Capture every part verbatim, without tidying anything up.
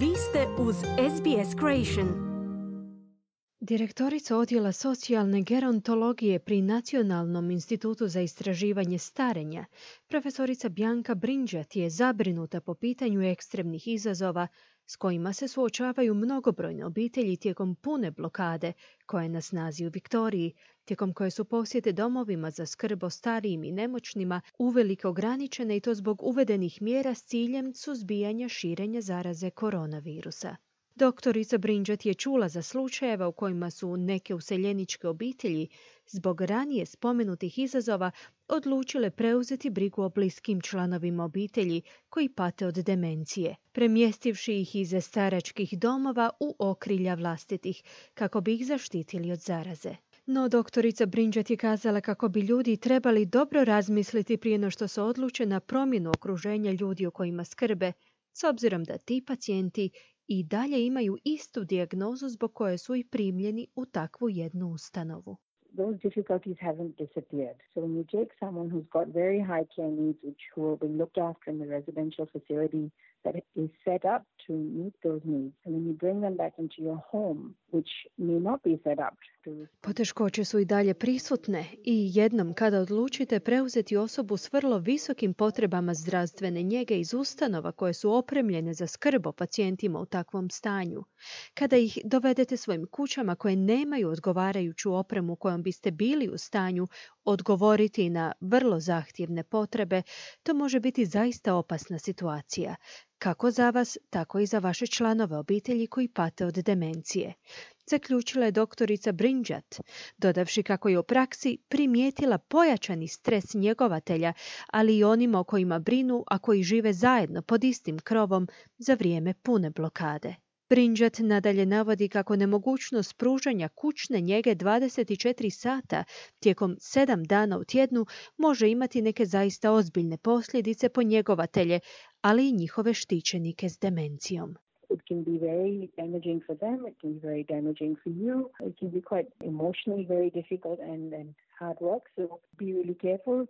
Vi ste uz S B S Creation. Direktorica odjela socijalne gerontologije pri Nacionalnom institutu za istraživanje starenja, profesorica Bianca Brinjat je zabrinuta po pitanju ekstremnih izazova s kojima se suočavaju mnogobrojne obitelji tijekom pune blokade koja je na snazi u Viktoriji, tijekom koje su posjete domovima za skrb o starijim i nemoćnima uvelike ograničene i to zbog uvedenih mjera s ciljem suzbijanja širenja zaraze koronavirusa. Doktorica Brinjat je čula za slučajeva u kojima su neke useljeničke obitelji zbog ranije spomenutih izazova odlučile preuzeti brigu o bliskim članovima obitelji koji pate od demencije, premjestivši ih iz staračkih domova u okrilja vlastitih kako bi ih zaštitili od zaraze. No, doktorica Brinjat je kazala kako bi ljudi trebali dobro razmisliti prije no što se odluče na promjenu okruženja ljudi o kojima skrbe, s obzirom da ti pacijenti i dalje imaju istu dijagnozu zbog koje su i primljeni u takvu jednu ustanovu. Those difficulties haven't disappeared. So when you take someone who's got very high care needs, which who will be looked after in the residential facility that is set up to meet those needs, and then you bring them back into your home, which may not be set up to respond. Poteškoće su i dalje prisutne i jednom kada odlučite preuzeti osobu s vrlo visokim potrebama zdravstvene njege iz ustanova koje su opremljene za skrb o pacijentima u takvom stanju, kada ih dovedete svojim kućama koje nemaju odgovarajuću opremu kojom biste bili u stanju odgovoriti na vrlo zahtjevne potrebe, to može biti zaista opasna situacija, kako za vas, tako i za vaše članove obitelji koji pate od demencije, zaključila je doktorica Brinjat, dodavši kako je u praksi primijetila pojačani stres njegovatelja, ali i onima o kojima brinu, a koji žive zajedno pod istim krovom za vrijeme pune blokade. Brinjat nadalje navodi kako nemogućnost pružanja kućne njege dvadeset četiri sata tijekom sedam dana u tjednu može imati neke zaista ozbiljne posljedice po njegovatelje, ali i njihove štićenike s demencijom. It can be very damaging for them, it can be very damaging for you, it can be quite emotionally very difficult and, and hard work, so be really careful.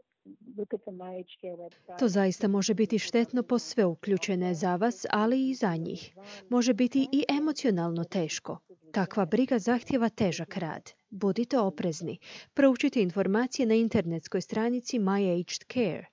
To zaista može biti štetno po sve uključene za vas, ali i za njih. Može biti i emocionalno teško. Takva briga zahtjeva težak rad. Budite oprezni. Proučite informacije na internetskoj stranici My Aged Care.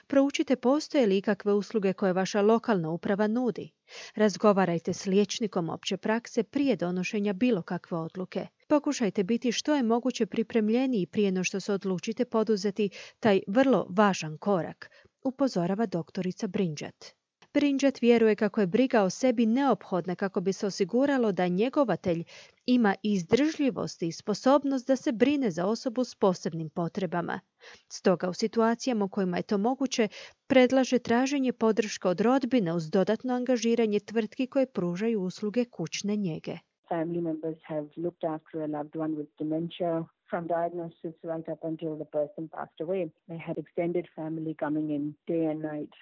Proučite postoje li ikakve usluge koje vaša lokalna uprava nudi. Razgovarajte s liječnikom opće prakse prije donošenja bilo kakve odluke. Pokušajte biti što je moguće pripremljeniji prije no što se odlučite poduzeti taj vrlo važan korak, upozorava doktorica Brinjat. Brinjat vjeruje kako je briga o sebi neophodna kako bi se osiguralo da njegovatelj ima izdržljivost i sposobnost da se brine za osobu s posebnim potrebama. Stoga u situacijama u kojima je to moguće, predlaže traženje podrške od rodbine uz dodatno angažiranje tvrtki koje pružaju usluge kućne njege. Family members have looked after a loved one with dementia from diagnosis right up until the person passed away. They had extended family coming in day and night.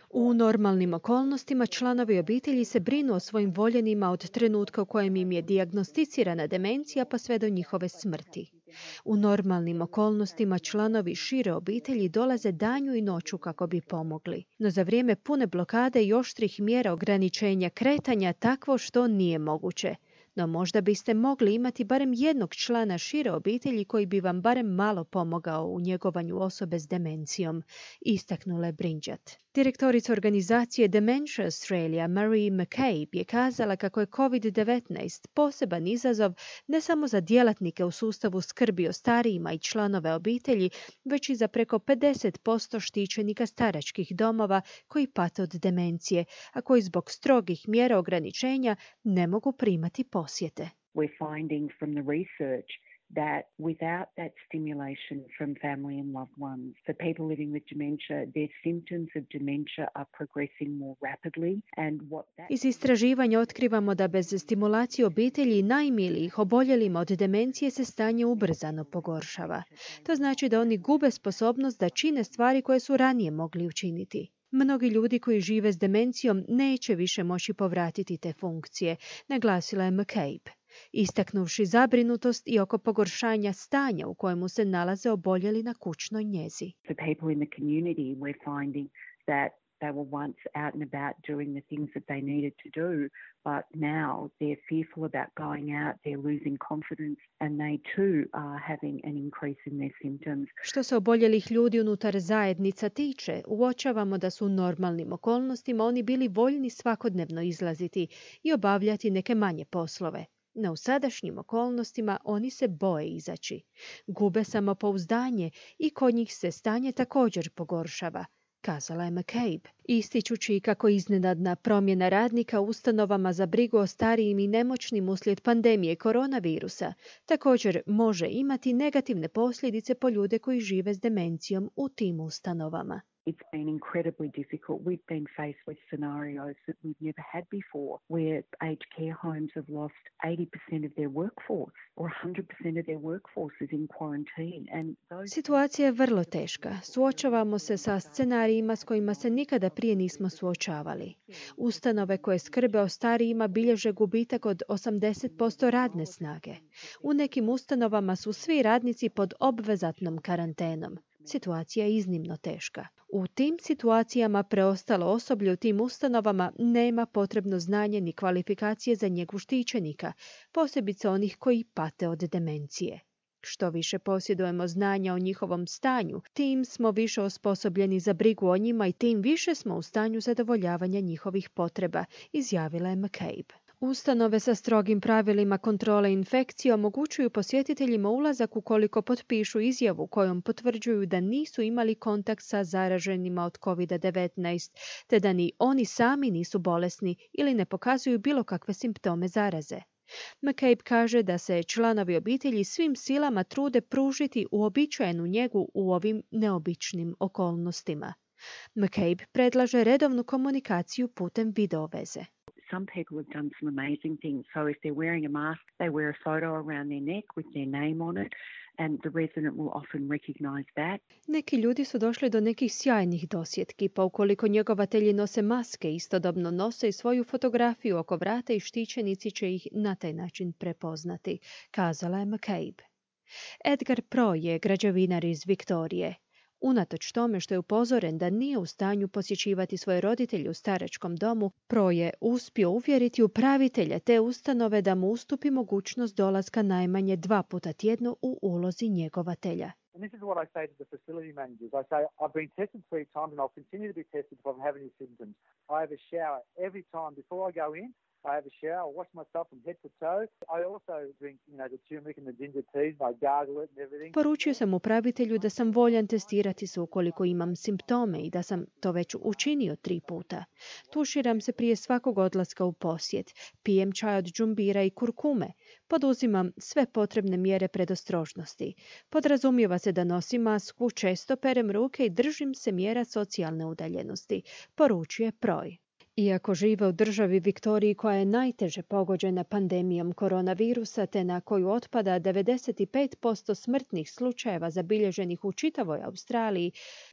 U normalnim okolnostima članovi obitelji se brinu o svojim voljenima od trenutka u kojem im je dijagnosticirana demencija pa sve do njihove smrti. U normalnim okolnostima članovi šire obitelji dolaze danju i noću kako bi pomogli. No za vrijeme pune blokade i oštrih mjera ograničenja kretanja takvo što nije moguće. No možda biste mogli imati barem jednog člana šire obitelji koji bi vam barem malo pomogao u njegovanju osobe s demencijom, istaknula je Brinjat. Direktorica organizacije Dementia Australia Marie McCabe je kazala kako je covid devetnaest poseban izazov ne samo za djelatnike u sustavu skrbi o starijima i članove obitelji, već i za preko pedeset posto štićenika staračkih domova koji pate od demencije, a koji zbog strogih mjera ograničenja ne mogu primati posjete. We're finding from the research that without that stimulation from family and loved ones, for people living with dementia, their symptoms of dementia are progressing more rapidly. And what that... Iz istraživanja otkrivamo da bez stimulacije obitelji i najmilijih oboljelima od demencije se stanje ubrzano pogoršava. To znači da oni gube sposobnost da čine stvari koje su ranije mogli učiniti. Mnogi ljudi koji žive s demencijom neće više moći povratiti te funkcije, naglasila je McCabe, istaknuvši zabrinutost i oko pogoršanja stanja u kojemu se nalaze oboljeli na kućnoj njezi. For people in the community, we're finding that They were once out and about doing the things that they needed to do, but now they're fearful about going out, they're losing confidence, and they too are having an increase in their symptoms. Što se oboljelih ljudi unutar zajednica tiče, uočavamo da su u normalnim okolnostima oni bili voljni svakodnevno izlaziti i obavljati neke manje poslove. No u sadašnjim okolnostima oni se boje izaći. Gube samopouzdanje i kod njih se stanje također pogoršava, kazala je McCabe, ističući kako iznenadna promjena radnika u ustanovama za brigu o starijim i nemoćnim uslijed pandemije koronavirusa također može imati negativne posljedice po ljude koji žive s demencijom u tim ustanovama. It's been incredibly difficult. We've been faced with scenarios that we've never had before, where aged care homes have lost eighty percent of their workforce or one hundred percent of their workforce is in quarantine. And those... Situacija je vrlo teška. Suočavamo se sa scenarijima s kojima se nikada prije nismo suočavali. Ustanove koje skrbe o starijima bilježe gubitak od osamdeset posto radne snage. U nekim ustanovama su svi radnici pod obvezatnom karantenom. Situacija je iznimno teška. U tim situacijama preostalo osoblje u tim ustanovama nema potrebno znanje ni kvalifikacije za njegu štićenika, posebice onih koji pate od demencije. Što više posjedujemo znanja o njihovom stanju, tim smo više osposobljeni za brigu o njima i tim više smo u stanju zadovoljavanja njihovih potreba, izjavila je McCabe. Ustanove sa strogim pravilima kontrole infekcije omogućuju posjetiteljima ulazak ukoliko potpišu izjavu kojom potvrđuju da nisu imali kontakt sa zaraženima od kovid devetnaest, te da ni oni sami nisu bolesni ili ne pokazuju bilo kakve simptome zaraze. McCabe kaže da se članovi obitelji svim silama trude pružiti uobičajenu njegu u ovim neobičnim okolnostima. McCabe predlaže redovnu komunikaciju putem videoveze. Some people have done some amazing things. So if they're wearing a mask, they wear a photo around their neck with their name on it, and the resident will often recognize that. Neki ljudi su došli do nekih sjajnih dosjetki, pa ukoliko njegovatelji nose maske, istodobno nose i svoju fotografiju oko vrata i štićenici će ih na taj način prepoznati, kazala je McCabe. Edgar Pro je građevinar iz Viktorije. Unatoč tome što je upozoren da nije u stanju posjećivati svoje roditelje u staračkom domu, Pro je uspio uvjeriti upravitelja te ustanove da mu ustupi mogućnost dolaska najmanje dva puta tjedno u ulozi njegovatelja. And this is what I say to the facility managers. I say, I've been tested three times and I'll continue to be tested if I have any symptoms. I have a shower every time before I go in. I have a shower, I wash myself from head to toe. I also drink, you know, the turmeric and the ginger teas, I gargle it and everything. Poručio sam upravitelju da sam voljan testirati se ukoliko imam simptome i da sam to već učinio tri puta. Tuširam se prije svakog odlaska u posjet, pijem čaj od džumbira i kurkume, poduzimam sve potrebne mjere predostrožnosti. Podrazumijeva se da nosim masku, često perem ruke i držim se mjera socijalne udaljenosti, poručuje Proj. Iako žive u državi Viktoriji koja je najteže pogođena pandemijom koronavirusa te na koju otpada devedeset pet posto smrtnih slučajeva zabilježenih u čitavoj Australiji,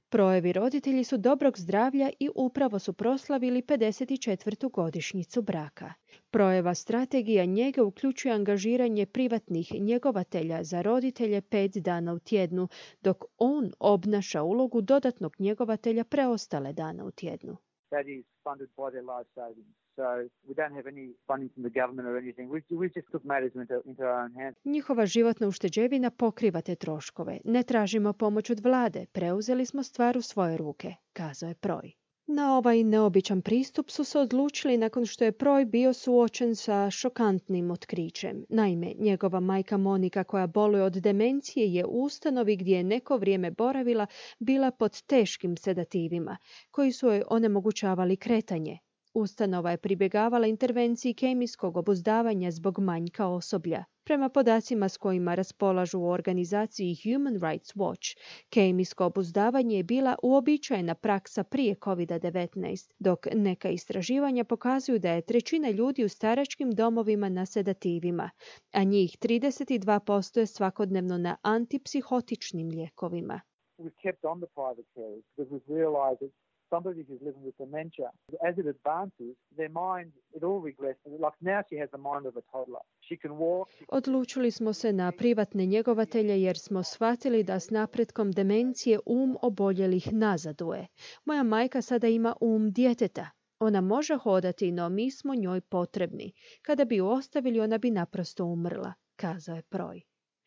Projevi roditelji su dobrog zdravlja i upravo su proslavili pedeset četvrtu godišnjicu braka. Projeva strategija njege uključuje angažiranje privatnih njegovatelja za roditelje pet dana u tjednu, dok on obnaša ulogu dodatnog njegovatelja preostale dana u tjednu. That is funded by their life savings. So we don't have any funding from the government or anything. We, we just took matters into, into our own hands. Njihova životna ušteđevina pokriva te troškove. Ne tražimo pomoć od vlade. Preuzeli smo stvar u svoje ruke, kazao je Proj. Na ovaj neobičan pristup su se odlučili nakon što je Proj bio suočen sa šokantnim otkrićem. Naime, njegova majka Monika, koja boluje od demencije, je u ustanovi gdje je neko vrijeme boravila bila pod teškim sedativima, koji su joj onemogućavali kretanje. Ustanova je pribjegavala intervenciji kemijskog obuzdavanja zbog manjka osoblja. Prema podacima s kojima raspolažu u organizaciji Human Rights Watch, kemijsko obuzdavanje je bila uobičajena praksa prije kovid devetnaest, dok neka istraživanja pokazuju da je trećina ljudi u staračkim domovima na sedativima, a njih trideset dva posto je svakodnevno na antipsihotičnim lijekovima. We've kept on the private carers because we've realised that somebody who's living with dementia, as it advances, their mind, it all regresses. Like now she has the mind of a toddler. She can walk. She can... Odlučili smo se na privatne njegovatelje jer smo shvatili da s napretkom demencije um oboljelih nazaduje. Moja majka sada ima um djeteta. Ona može hodati, no mi smo njoj potrebni. Kada bi ju ostavili, ona bi naprosto umrla, kazao je Proj.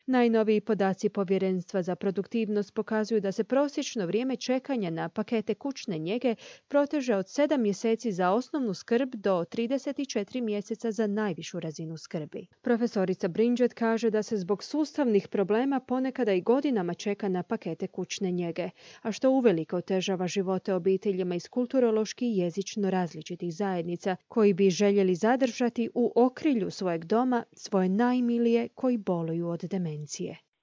Najnoviji podaci Povjerenstva za produktivnost pokazuju da se prosječno vrijeme čekanja na pakete kućne njege proteže od sedam mjeseci za osnovnu skrb do trideset četiri mjeseca za najvišu razinu skrbi. Profesorica Bridget kaže da se zbog sustavnih problema ponekada i godinama čeka na pakete kućne njege, a što uvelike otežava živote obiteljima iz kulturološki i jezično različitih zajednica koji bi željeli zadržati u okrilju svojeg doma svoje najmilije koji boluju od demencije.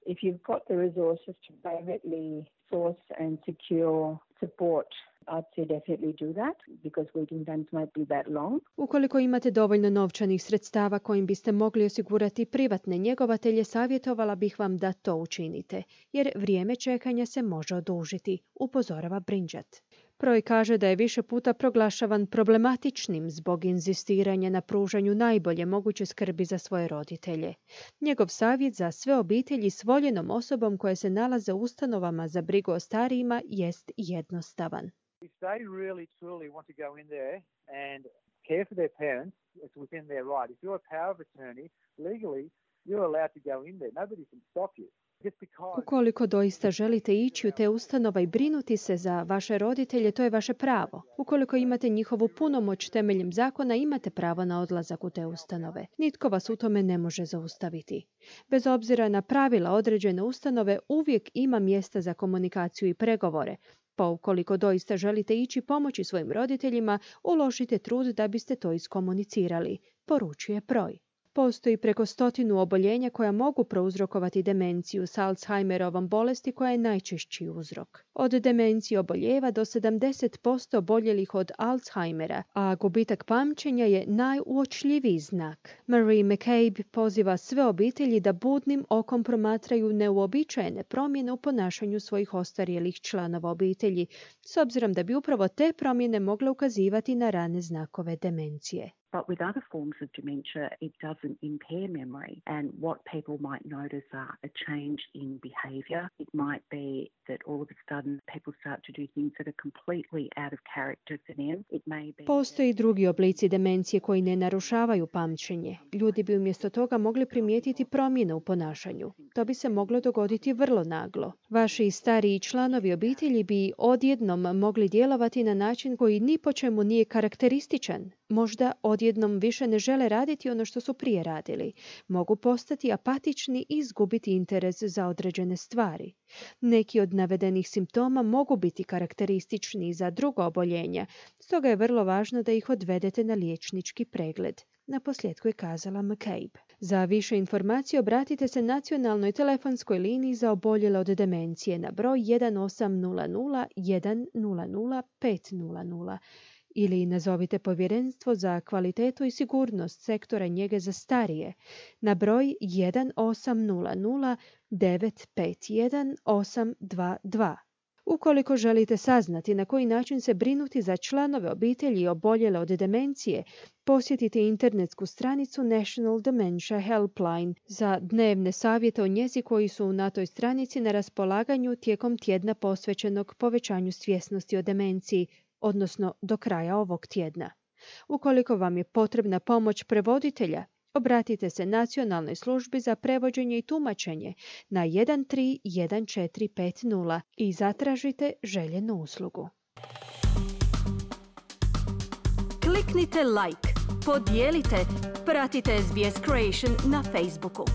If you've got the resources to privately source and secure support, I'd say definitely do that because waiting times might be that long. Ukoliko imate dovoljno novčanih sredstava kojim biste mogli osigurati privatne njegovatelje, savjetovala bih vam da to učinite, jer vrijeme čekanja se može odužiti, upozorava Bridget. Proj kaže da je više puta proglašavan problematičnim zbog inzistiranja na pružanju najbolje moguće skrbi za svoje roditelje. Njegov savjet za sve obitelji s voljenom osobom koje se nalaze u ustanovama za brigu o starijima jest jednostavan. If they really truly want to go in there and care for their parents, it's within their right. If you're a power of attorney, legally, you're allowed to go in there. Nobody can stop you. Ukoliko doista želite ići u te ustanova i brinuti se za vaše roditelje, to je vaše pravo. Ukoliko imate njihovu punomoć temeljem zakona, imate pravo na odlazak u te ustanove. Nitko vas u tome ne može zaustaviti. Bez obzira na pravila određene ustanove, uvijek ima mjesta za komunikaciju i pregovore. Pa ukoliko doista želite ići pomoći svojim roditeljima, uložite trud da biste to iskomunicirali, poručuje Proj. Postoji preko stotinu oboljenja koja mogu prouzrokovati demenciju s Alzheimerovom bolesti koja je najčešći uzrok. Od demencije oboljeva do sedamdeset posto oboljelih od Alzheimera, a gubitak pamćenja je najuočljiviji znak. Marie McCabe poziva sve obitelji da budnim okom promatraju neuobičajene promjene u ponašanju svojih ostarjelih članova obitelji, s obzirom da bi upravo te promjene mogle ukazivati na rane znakove demencije. But with other forms of dementia, it doesn't impair memory. And what people might notice are a change in behaviour. It might be that all of a sudden people start to do things that are completely out of character for them. It may be... Postoji drugi oblici demencije koji ne narušavaju pamćenje. Ljudi bi umjesto toga mogli primijetiti promjene u ponašanju. To bi se moglo dogoditi vrlo naglo. Vaši stariji članovi obitelji bi odjednom mogli djelovati na način koji ni po čemu nije karakterističan. Možda odjednom više ne žele raditi ono što su prije radili. Mogu postati apatični i izgubiti interes za određene stvari. Neki od navedenih simptoma mogu biti karakteristični za druga oboljenja, stoga je vrlo važno da ih odvedete na liječnički pregled. Naposljetku je kazala McCabe. Za više informacije obratite se nacionalnoj telefonskoj liniji za oboljele od demencije na broj jedan osam nula nula jedan nula nula pet nula nula. Ili nazovite Povjerenstvo za kvalitetu i sigurnost sektora njege za starije na broj jedan osam nula nula devet pet jedan osam dva dva. Ukoliko želite saznati na koji način se brinuti za članove obitelji oboljele od demencije, posjetite internetsku stranicu National Dementia Helpline za dnevne savjete o njezi koji su na toj stranici na raspolaganju tijekom tjedna posvećenog povećanju svjesnosti o demenciji, odnosno do kraja ovog tjedna. Ukoliko vam je potrebna pomoć prevoditelja, obratite se Nacionalnoj službi za prevođenje i tumačenje na jedan tri jedan četiri pet nula i zatražite željenu uslugu. Kliknite like, podijelite, pratite S B S Creation na Facebooku.